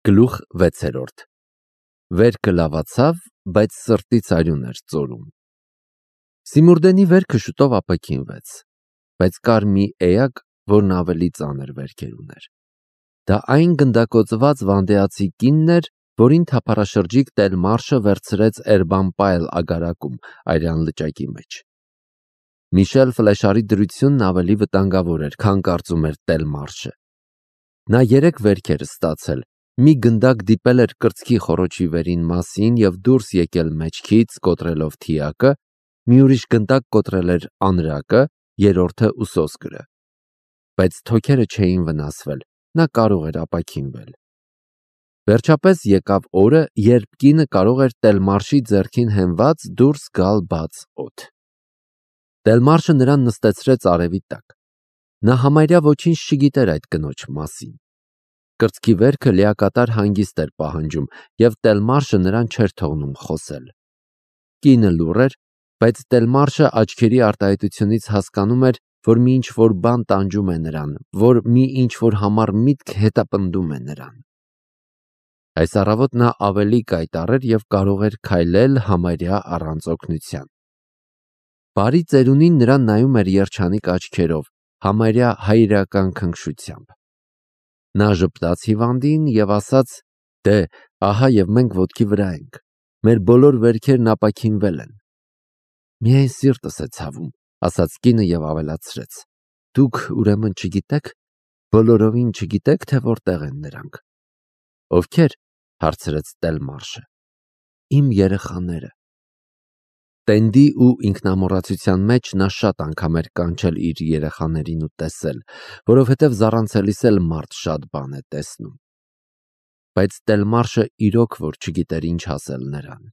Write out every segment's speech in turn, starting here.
Գլուխ 6. Վերքը լավացավ, բայց սրտից արյուն էր ծորում։ Սիմուրդենի վերքը շուտով ապաքինվեց, բայց կար մի էակ, որն ավելի ծանր վերքեր ուներ։ Դա այն գնդակոծված վանդեացի կինն էր, որին թափառաշրջիկ Տելմարշը վերցրեց Էրբամպայլ ագարակում արյան լճակի մեջ։ Միշել Ֆլեշարի դրությունն ավելի վտանգավոր էր, քան կարծում էր Տելմարշը։ Նա 3 վերքեր ստացել, մի գնդակ դիպել էր կրծքի խոռոչի վերին մասին և դուրս եկել մեջքից, կոտրելով թիակը, մի ուրիշ գնդակ կոտրել էր անրակը, երրորդը ուսոսկրը։ Բայց թոքերը չէին վնասվել, նա կարող էր ապաքինվել։ Վերջապես եկավ օրը, երբ կինը կարող էր Տելմարշի ձեռքին հենված դուրս գալ բաց օդ։ Տելմարշը նրան նստեցրեց արևի տակ։ Նա համարյա ոչինչ չգիտեր այդ կնոջ մասին։ Կրծքի վերքը լիակատար հանգիստ էր պահանջում, և Տելմարշը նրան չէր թողնում խոսել։ Կինը լուռ էր, բայց Տելմարշը աչքերի արտահայտությունից հասկանում էր, որ մի ինչ-որ բան տանջում է նրան, որ մի ինչ-որ համառ միտք հետապնդում է նրան։ Այս առավոտ նա ավելի կայտառ էր և կարող էր քայլել համարյա առանց օգնության։ Բարի ծերունին նրան նայում էր երջանիկ աչքերով, համարյա հայրական քնքշությամբ։ Նա ժպտաց հիվանդին և ասաց. «Դե, ահա և մենք ոտքի վրա ենք, մեր բոլոր վերքերն ապաքինվել են»։ «Միայն սիրտս է ցավում», ասաց կինը և ավելացրեց. «Դուք ուրեմն չգիտեք, բոլորովին չգիտեք, թե որտեղ են նրանք»։ «Ովքեր»։ հարցրեց Տելմարշը։ «Իմ երեխաները»։ Տենդի ու ինքնամոռացության մեջ նա շատ անգամ էր կանչել իր երեխաներին ու տեսել, որովհետև զառանցելիս էլ մարդ շատ բան է տեսնում։ Բայց Տելմարշը իրոք որ չգիտեր ինչ ասել նրան։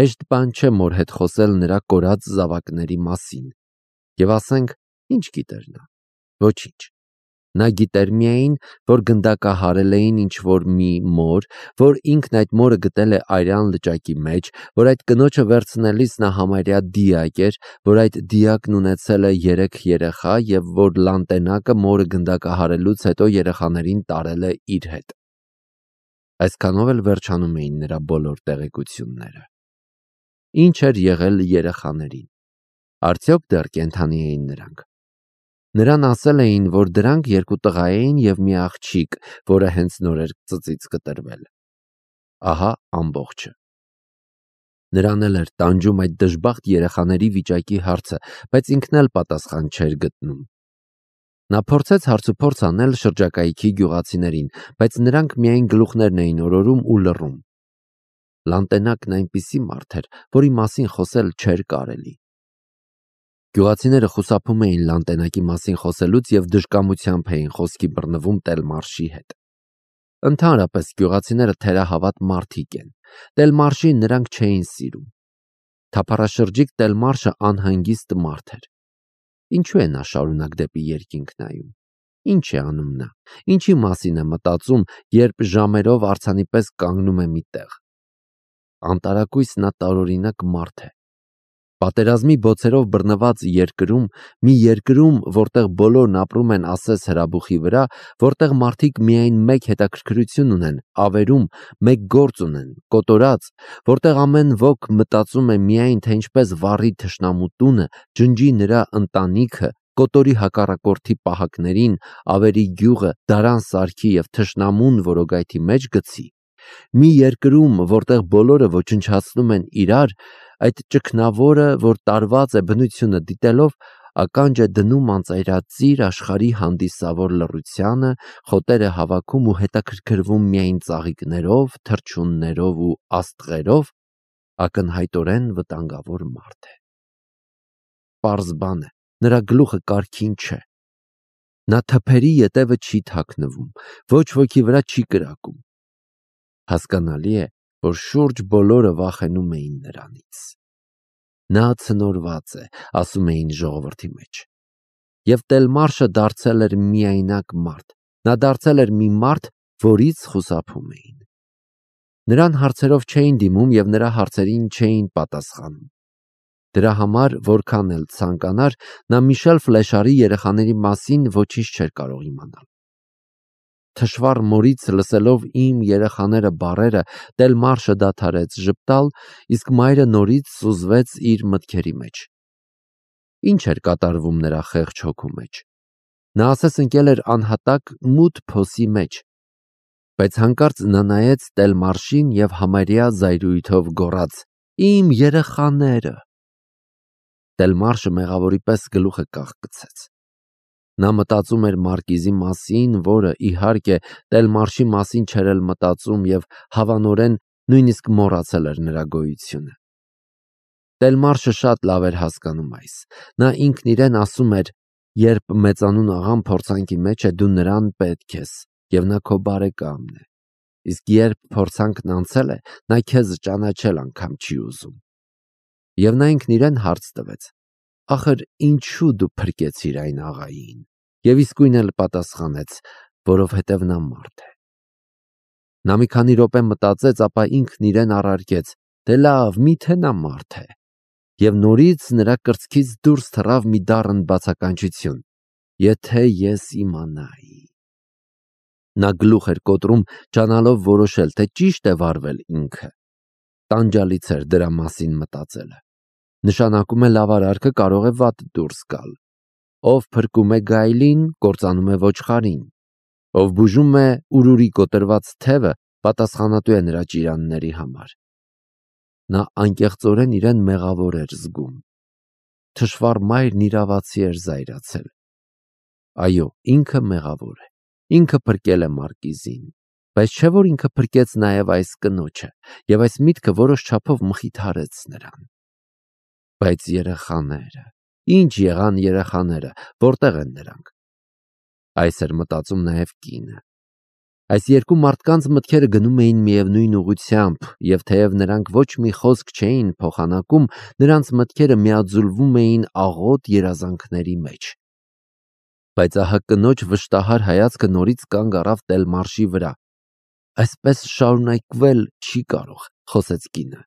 Հեշտ բան չէ մոր հետ խոսել նրա կորած զավակների մասին, և ասենք, ինչ գիտեր նա։ Ոչինչ։ Նա գիտեր միայն, որ գնդակահարել էին ինչ-որ մի մոր, որ ինքն այդ մորը գտել է արյան լճակի մեջ, որ այդ կնոջը վերցնելիս նա համարյա դիակ էր, որ այդ դիակն ունեցել է 3 երեխա և որ լանտենակը մորը գնդակահարելուց հետո երեխաներին տարել է իր հետ։ Այսքանով էլ վերջանում էին նրա բոլոր տեղեկությունները։ Ինչ էր եղել երեխաներին։ Արդյոք դեռ կենդանի էին նրանք։ Նրան ասել էին, որ դրանք 2 տղա էին և մի աղջիկ, որը հենց նոր էր ծծից կտրվել։ Ահա ամբողջը։ Նրան էլ էր տանջում այդ դժբախտ երեխաների վիճակի հարցը, բայց ինքն էլ պատասխան չէր գտնում։ Նա փորձեց հարցուփորձ անել շրջակայքի գյուղացիներին, բայց նրանք միայն գլուխներն էին օրորում ու լռում։ Լանտենակն այնպիսի մարդ էր, որի մասին խոսել չէր կարելի։ Գյուղացիները խուսափում էին լանտենակի մասին խոսելուց և դժկամությամբ էին խոսքի բռնվում Տելմարշի հետ։ Ընդհանրապես գյուղացիները թերահավատ մարդիկ են։ Տելմարշին նրանք չէին սիրում։ Թափառաշրջիկ Տելմարշը անհանգիստ մարդ էր։ Ինչու է նա շարունակ դեպի երկինք նայում։ Ինչ է անում նա։ Ինչի մասին է մտածում, երբ ժամերով արձանի պես կանգնում է մի տեղ։ Անտարակույս նա տարօրինակ մարդ է։ Պատերազմի բոցերով բռնված երկրում, մի երկրում, որտեղ բոլորն ապրում են ասես հրաբուխի վրա, որտեղ մարդիկ միայն մեկ հետաքրքրություն ունեն, ավերում, մեկ գործ ունեն, կոտորած, որտեղ ամեն ոք մտածում է միայն, թե ինչպես վառի թշնամու տունը, ջնջի նրա ընտանիքը, կոտորի հակառակորդի պահակներին, ավերի գյուղը, դարան սարքի և թշնամուն որոգայթի մեջ գցի։ Մի երկրում, որտեղ բոլորը ոչնչացնում են իրար, այդ ճգնավորը, որ տարված է բնությունը դիտելով, ականջ է դնում անծայրածիր աշխարհի հանդիսավոր լռությանը, խոտեր է հավաքում ու հետաքրքրվում միայն ծաղիկներով, թռչուններով ու աստղերով, ակնհայտորեն վտանգավոր մարդ է։ Պարզ բան է, նրա գլուխը կարգին չէ։ Նա թփերի ետևը չի թաքնվում, ոչ ոքի վրա չի կրակում։ Հասկանալի է, որ շուրջ բոլորը վախենում էին նրանից։ Նա ցնորված է, ասում էին ժողովրդի մեջ։ Եվ Տելմարշը դարձել էր միայնակ մարդ։ Նա դարձել էր մի մարդ, որից խուսափում էին։ Նրան հարցերով չէին դիմում և նրա հարցերին չէին պատասխանում։ Դրա համար, որքան էլ ցանկանար, նա Միշել Ֆլեշարի երեխաների մասին ոչինչ չէր կարող իմանալ։ թշվառ մորից լսելով իմ երեխաները բառերը, Տելմարշը դադարեց ժպտալ, իսկ մայրը նորից սուզվեց իր մտքերի մեջ։ Ինչ էր կատարվում նրա խեղճ հոգու մեջ։ Նա ասես ընկել էր անհատակ մութ փոսի մեջ, բայց հանկարծ նա նայեց Տելմարշին և համարյա զայրույթով գոռաց. «Իմ երեխաները»։ Տելմարշը մեղավորի պես գլուխը կաղկցեց։ Նա մտածում էր Մարկիզի մասին, որը, իհարկե, Տելմարշի մասին չէր էլ մտածում և հավանորեն նույնիսկ մոռացել էր նրա գոյությունը։ Տելմարշը շատ լավ էր հասկանում այս։ Նա ինքն իրեն ասում էր. «Երբ մեծանուն աղան փորձանքի մեջ է, դու նրան պետք ես, և նա քո բարեկամն է, իսկ երբ փորձանքն անցել է, նա քեզ ճանաչել անգամ չի ուզում»։ Եվ նա ինքն իրեն հարց տվեց. «Ախր ինչու դու փրկեցիր այն աղային»։ Եվ իսկույն էլ պատասխանեց. «Որովհետև նա մարդ է»։ Նա մի քանի րոպե մտածեց, ապա ինքն իրեն առարկեց. «Դե լավ, միթե նա մարդ է»։ Եվ նորից նրա կրծքից դուրս թռավ մի դառն բացականչություն. «Եթե ես իմանայի»։ Նա գլուխ էր կոտրում, ջանալով որոշել, թե ճիշտ է վարվել ինքը։ Տանջալից էր դրա մասին մտածելը։ Նշանակում է լավ արարքը կարող է վատ դուրս գալ։ Ով փրկում է գայլին, կործանում է ոչխարին։ Ով բուժում է ուրուրի կոտրված թևը, պատասխանատու է նրա ճիրանների համար։ Նա անկեղծորեն իրեն մեղավոր էր զգում։ Թշվառ մայրն իրավացի էր զայրացել։ Այո, ինքը մեղավոր է։ Ինքը փրկել է Մարկիզին, բայց չէ՞ որ ինքը փրկեց նաև այս կնոջը, և այս միտքը որոշ չափով մխիթարեց նրան։ Բայց երեխաները, ինչ եղան երեխաները, որտեղ են նրանք։ Այս էր մտածում նաև կինը։ Այս երկու մարդկանց մտքերը գնում էին միևնույն ուղղությամբ, և թեև նրանք ոչ մի խոսք չէին փոխանակում, նրանց մտքերը միաձուլվում էին աղոտ երազանքների մեջ։ Բայց ահա կնոջ վշտահար հայացքը նորից կանգ առավ Տելմարշի վրա։ Այսպես շարունակվել չի կարող, խոսեց կինը։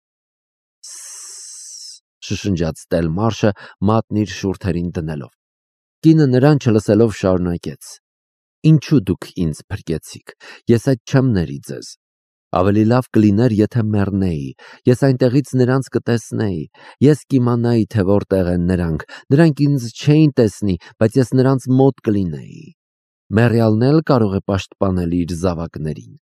Սսս, շշնջաց Տելմարշը մատն իր շուրթերին դնելով։ Կինը նրան չլսելով շարունակեց. Ինչու դուք ինձ փրկեցիք, ես այդ չեմ ների ձեզ։ Ավելի լավ կլիներ, եթե մեռնեի, ես այնտեղից նրանց կտեսնեի, ես կիմանայի, թե որտեղ են նրանք ինձ չէին տեսնի, բայց ես նրանց մոտ կլինեի։ Մեռյալն էլ կարող է պաշտպանել իր զավակներին։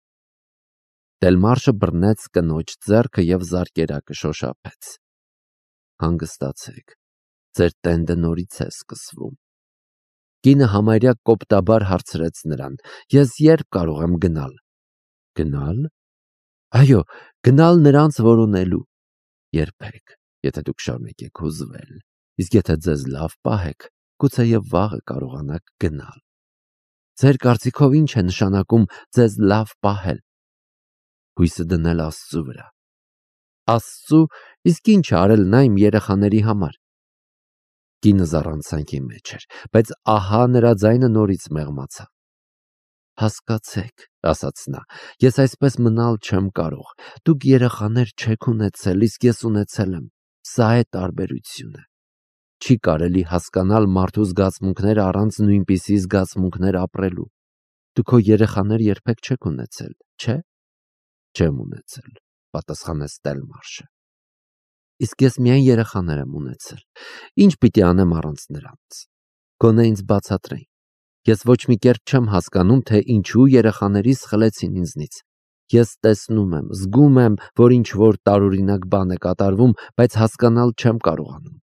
Տելմարշը բռնեց կնոջ ձեռքը և զարկերակը շոշափեց։ Հանգստացեք, ձեր տենդը նորից է սկսվում։ Կինը համարյա կոպտաբար հարցրեց նրան. Ես երբ կարող եմ գնալ։ Գնալ։ Այո, գնալ նրանց որոնելու։ Երբեք, եթե դուք շարունակեք հուզվել, իսկ եթե ձեզ լավ պահեք, գուցեև վաղը կարողանաք գնալ։ Ձեր կարծիքով ինչ է նշանակում ձեզ լավ պահել։ Հույսը դնել Աստծու վրա։ Աստծու, իսկ ինչ արել նա իմ երեխաների համար։ Կինը զառանցանքի մեջ էր, բայց ահա նրա ձայնը նորից մեղմացավ։ Հասկացեք, ասաց նա, ես այսպես մնալ չեմ կարող։ Դուք երեխաներ չեք ունեցել, իսկ ես ունեցել եմ։ Սա է տարբերությունը։ Չի կարելի հասկանալ մարդու զգացմունքները առանց նույնպիսի զգացմունքներ ապրելու։ Դու քո երեխաներ երբեք չեք ունեցել, չէ՞։ Չեմ ունեցել, պատասխանեց Տելմարշը։ Իսկ ես միայն երեխաներ եմ ունեցել։ Ինչ պիտի անեմ առանց նրանց։ Գոնե ինձ բացատրեին։ Ես ոչ մի կերպ չեմ հասկանում, թե ինչու երեխաներիս խլեցին ինձնից։ Ես տեսնում եմ, զգում եմ, որ ինչ-որ տարօրինակ բան է կատարվում, բայց հասկանալ չեմ կարողանում։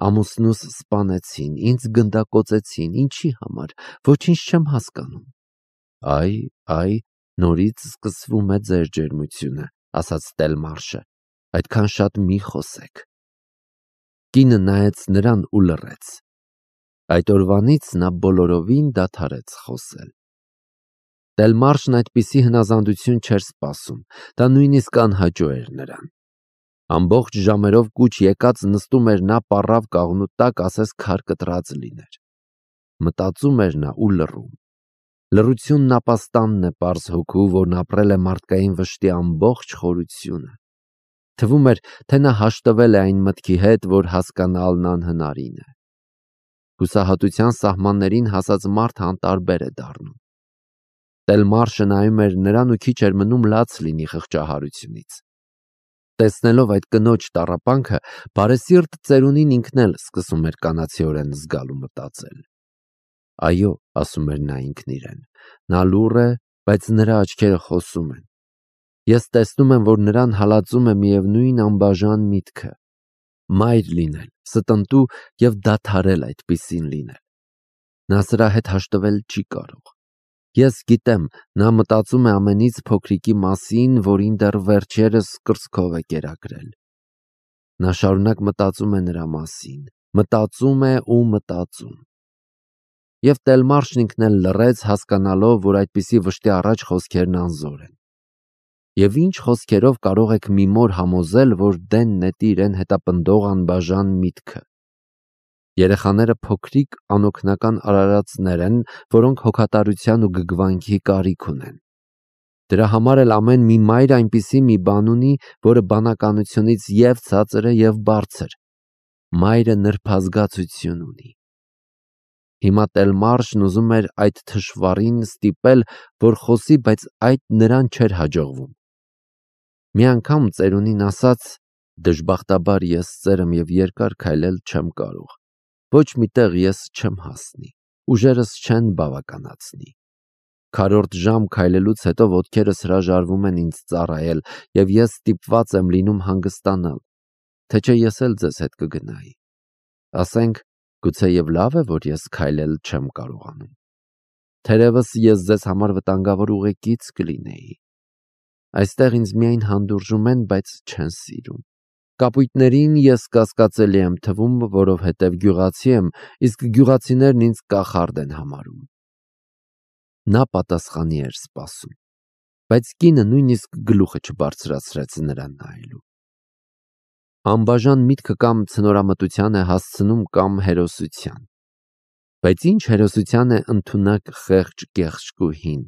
Ամուսնուս սպանեցին, ինձ գնդակոծեցին, ինչի համար, ոչինչ չեմ հասկանում։ Այ, նորից սկսվում է ձեր ջերմությունը, ասաց Տելմարշը, այդքան շատ մի խոսեք։ Կինը նայեց նրան ու լռեց։ Այդ օրվանից նա բոլորովին դադարեց խոսել։ Տելմարշն այդպիսի հնազանդություն չէր սպասում, դա նույնիսկ անհաճո էր նրան։ Ամբողջ ժամերով կուչ եկած նստում էր նա պառավ կաղնու տակ, ասես քար կտրած լիներ։ Մտածում էր նա ու լռում։ Լռությունն ապաստանն է պարզ հոգու, որն ապրել է մարդկային վշտի ամբողջ խորությունը։ Թվում էր, թե նա հաշտվել է այն մտքի հետ, որ հասկանալն անհնարին է։ Հուսահատության սահմաններին հասած մարդը անտարբեր է դառնում։ Տելմարշը նայում էր նրան ու քիչ էր մնում լաց լինի խղճահարությունից։ Տեսնելով այդ կնոջ տառապանքը, բարեսիրտ ծերունին ինքն էլ սկսում էր կանացիորեն զգալ ու մտածել։ Այո, ասում էր նա ինքն իրեն, նա լուռ է, բայց նրա աչքերը խոսում են։ Ես տեսնում եմ, որ նրան հալածում է միևնույն անբաժան միտքը՝ մայր լինել, ստնտու և դադարել այդպիսին լինել։ Նա սրա հետ հաշտվել չի կարող։ Ես գիտեմ, նա մտածում է ամենից փոքրիկի մասին, որին դեռ վերջերս կրծքով է կերակրել։ Նա շարունակ մտածում է նրա մասին, մտածում է ու մտածում։ Եվ Տելմարշն ինքն էլ լռեց, հասկանալով, որ այդպիսի վշտի առաջ խոսքերն անզոր են։ Եվ ինչ խոսքերով կարող եք մի մոր համոզել, որ դեն նետի իրեն հետապնդող անբաժան միտքը։ Երեխաները փոքրիկ անօգնական արարածներ են, որոնք հոգատարության ու գգվանքի կարիք ունեն։ Դրա համար էլ ամեն մի մայր այնպիսի մի բան ունի, որը բանականությունից և ցածր է և բարձր։ Մայրը նրբազգացություն ունի։ Հիմա Տելմարշն ուզում էր այդ թշվառին ստիպել, որ խոսի, բայց այդ նրան չէր հաջողվում։ Մի անգամ ծերունին ասաց. «Դժբախտաբար ես ծեր եմ և երկար քայլել չեմ կարող։ Ոչ մի տեղ ես չեմ հասնի, ուժերս չեն բավականացնի։ Քառորդ ժամ քայլելուց հետո ոտքերս հրաժարվում են ինձ ծառայել, և ես ստիպված եմ լինում հանգստանալ, թե չէ ես էլ ձեզ հետ կգնայի։ Ասենք, գուցեև լավ է, որ ես քայլել չեմ կարողանում։ Թերևս ես ձեզ համար վտանգավոր ուղեկից կլինեի։ Այստեղ ինձ միայն հանդուրժում են, բայց չեն սիրում։ Կապույտներին ես կասկածելի եմ թվում, որովհետև գյուղացի եմ, իսկ գյուղացիներն ինձ կախարդ են համարում»։ Նա պատասխանի էր սպասում, բայց կինը նույնիսկ գլուխը չբարձրացրեց նրան նայելու։ Անբաժան միտքը կամ ցնորամտության է հասցնում, կամ հերոսության։ Բայց ինչ հերոսության է ընդունակ խեղճ կեղճկուհին։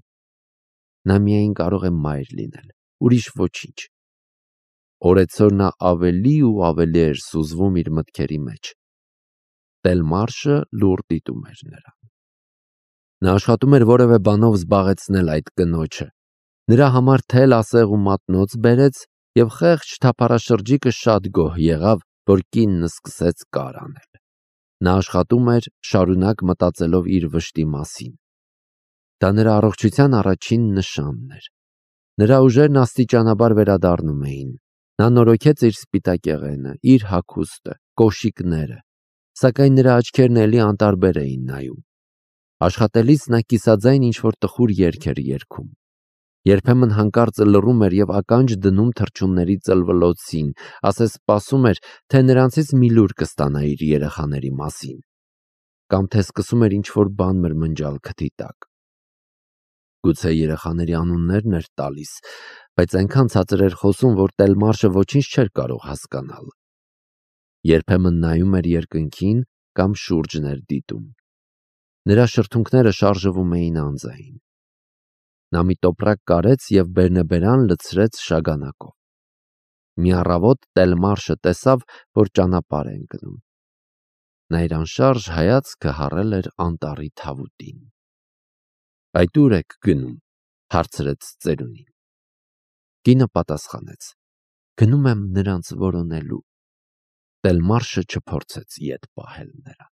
Նա միայն կարող է մայր լինել, ուրիշ ոչինչ։ Օրեցօր նա ավելի ու ավելի էր սուզվում իր մտքերի մեջ։ Տելմարշը լուռ դիտում էր նրան։ Նա աշխատում էր որևէ բանով զբաղեցնել այդ կնոջը։ Նրա համար թել ասեղ ու մատնոց բերեց, և խեղճ թափառաշրջիկը շատ գոհ եղավ, որ կինն սկսեց կար անել։ Նա աշխատում էր, շարունակ մտածելով իր վշտի մասին։ Դա նրա առողջության առաջին նշանն էր։ Նրա ուժերն աստիճանաբար վերադառնում էին։ Նա նորոգեց իր սպիտակեղենը, իր հագուստը, կոշիկները, սակայն նրա աչքերն էլի անտարբեր էին նայում։ Աշխատելիս նա կիսաձայն ինչ-որ տխուր երգ էր երգում։ Երբեմն հանկարծը լռում էր և ականջ դնում թռչունների ծլվլոցին, ասես սպասում էր, թե նրանցից մի լուր կստանա իր երեխաների մասին, կամ թե սկսում էր ինչ-որ բան մրմնջալ քթի տակ։ Գուցե երեխաների անուններն էր տալիս, բայց այնքան ցածր էր խոսում, որ Տելմարշը ոչինչ չէր կարող հասկանալ։ Երբեմն նայում էր երկնքին կամ շուրջն էր դիտում։ Նրա շրթունքները շարժվում էին անձային։ Նա մի տոպրակ կարեց և բերնեբերան լցրեց շագանակով։ Մի առավոտ Տելմարշը տեսավ, որ ճանապարհ է ընկնում։ Նա իր անշարժ հայացքը հառել էր անտառի թավուտին։ «Այդ ո՞ւր եք գնում», հարցրեց ծերունին։ Կինը պատասխանեց. «Գնում եմ նրանց որոնելու»։ Տելմարշը չփորձեց ետ պահել նրան։